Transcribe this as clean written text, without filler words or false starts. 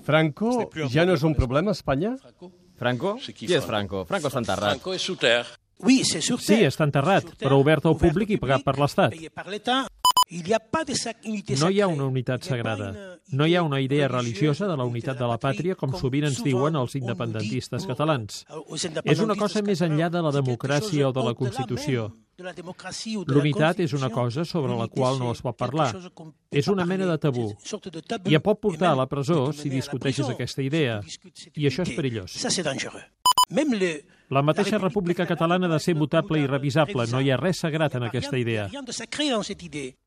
Franco ja no és un problema a Espanya? Franco? Qui és Franco? Franco està enterrat. Franco és sous terre. Sí, està enterrat, però obert al públic i pagat per l'Estat. No hi ha una unitat sagrada. No hi ha una idea religiosa de la unitat de la pàtria, com sovint ens diuen els independentistes catalans. És una cosa més enllà de la democràcia o de la Constitució. L'unitat és una cosa sobre la qual no es pot parlar. És una mena de tabú. I et pot portar a la presó si discuteixes aquesta idea. I això és perillós. La mateixa República Catalana ha de ser mutable i revisable. No hi ha res sagrat en aquesta idea.